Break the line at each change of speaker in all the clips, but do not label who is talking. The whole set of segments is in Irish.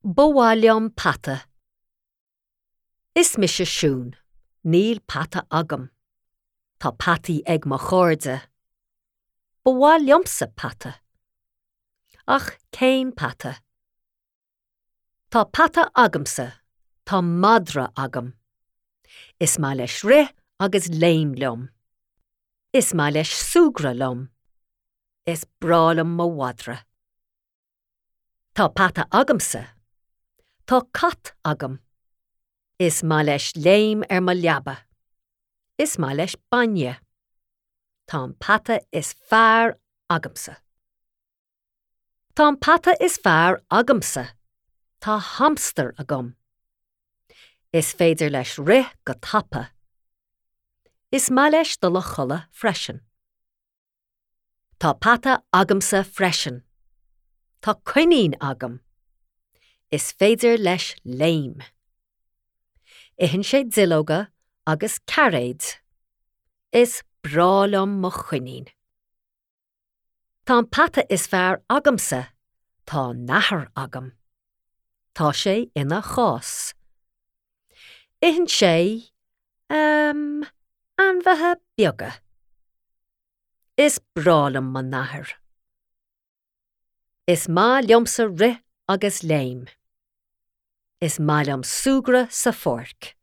Ba mhaith liom peata. Is mise Siún. Níl peata agam. Tá peataí ag mo chairde. Ba mhaith liomsa peata. Ach cén peata? Tá peata agamsa. Tá madra agam. Is maith leis rith agus léim liom. Is maith leis súgradh liom. Is breá liom mo mhadra. Tá peata agamsa. Tá cat agam. Is maith leis léim ar mo leaba. Is maith leis bainne. Tá an peata is fearr agamsa. Tá an peata is fearr agamsa. Tá hamstar agam. Is féidir leis rith go tapa. Is maith leis dul a chodladh freisin. Tá peata agamsa freisin. Tá coinín agam. Is féidir leis léim. Itheann sé duilleoga agus cairéid. Is breá liom mo choinín. Tá an peata is fearr agamsa. Tá nathair agam. Tá sé ina chás. Itheann sé, ehm, ainmhithe beaga. Is breá liom mo nathair. Is maith liomsa rith agus léim. Is maith liom súgradh sa pháirc.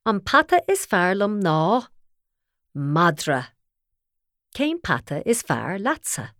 An peata is fearr liom ná madra. Cén peata is fearr leatsa?